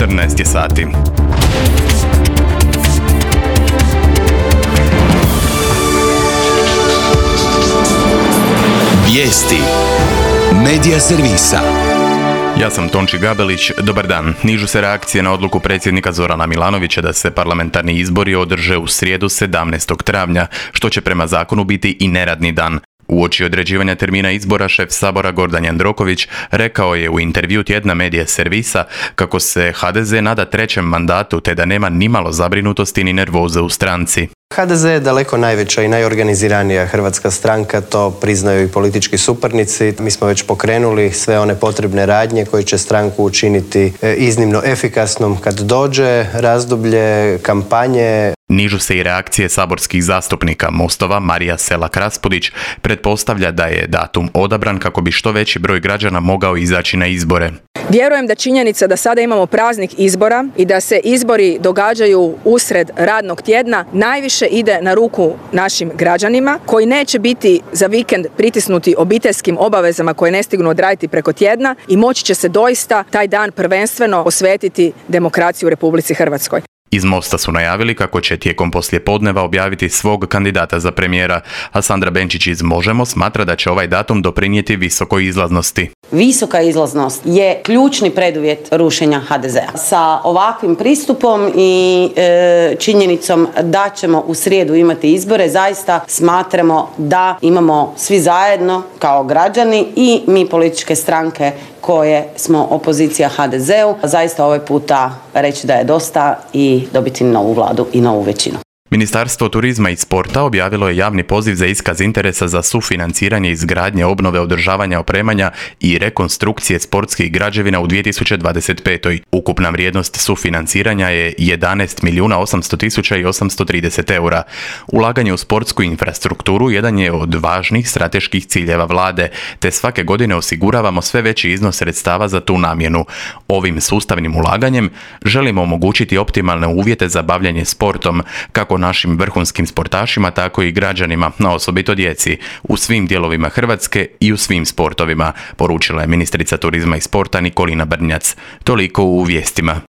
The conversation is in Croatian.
14 je sati. Vijesti Medija servisa. Ja sam Tonči Gabelić, dobar dan. Nižu se reakcije na odluku predsjednika Zorana Milanovića da se parlamentarni izbori održe u srijedu 17. travnja, što će prema zakonu biti i neradni dan. Uoči određivanja termina izbora, šef Sabora Gordan Jandroković rekao je u intervju tjedna Medija servisa kako se HDZ nada trećem mandatu te da nema nimalo zabrinutosti ni nervoze u stranci. HDZ je daleko najveća i najorganiziranija hrvatska stranka, to priznaju i politički suparnici. Mi smo već pokrenuli sve one potrebne radnje koje će stranku učiniti iznimno efikasnom kad dođe razdoblje kampanje. Nižu se i reakcije saborskih zastupnika. Mostova Marija Selak-Raspudić pretpostavlja da je datum odabran kako bi što veći broj građana mogao izaći na izbore. Vjerujem da činjenica da sada imamo praznik izbora i da se izbori događaju usred radnog tjedna najviše ide na ruku našim građanima koji neće biti za vikend pritisnuti obiteljskim obavezama koje ne stignu odraditi preko tjedna i moći će se doista taj dan prvenstveno posvetiti demokraciji u Republici Hrvatskoj. Iz Mosta su najavili kako će tijekom poslijepodneva objaviti svog kandidata za premijera, a Sandra Benčić iz Možemo smatra da će ovaj datum doprinijeti visokoj izlaznosti. Visoka izlaznost je ključni preduvjet rušenja HDZ-a. Sa ovakvim pristupom i činjenicom da ćemo u srijedu imati izbore, zaista smatramo da imamo svi zajedno kao građani i mi političke stranke koje smo opozicija HDZ-u, zaista ovaj puta reći da je dosta i dobiti novu vladu i novu većinu. Ministarstvo turizma i sporta objavilo je javni poziv za iskaz interesa za sufinanciranje izgradnje, obnove, održavanja, opremanja i rekonstrukcije sportskih građevina u 2025. Ukupna vrijednost sufinanciranja je 11.800.830 eura. Ulaganje u sportsku infrastrukturu jedan je od važnih strateških ciljeva vlade, te svake godine osiguravamo sve veći iznos sredstava za tu namjenu. Ovim sustavnim ulaganjem želimo omogućiti optimalne uvjete za bavljanje sportom, kako našim vrhunskim sportašima, tako i građanima, no osobito djeci, u svim dijelovima Hrvatske i u svim sportovima, poručila je ministrica turizma i sporta Nikolina Brnjac. Toliko u vijestima.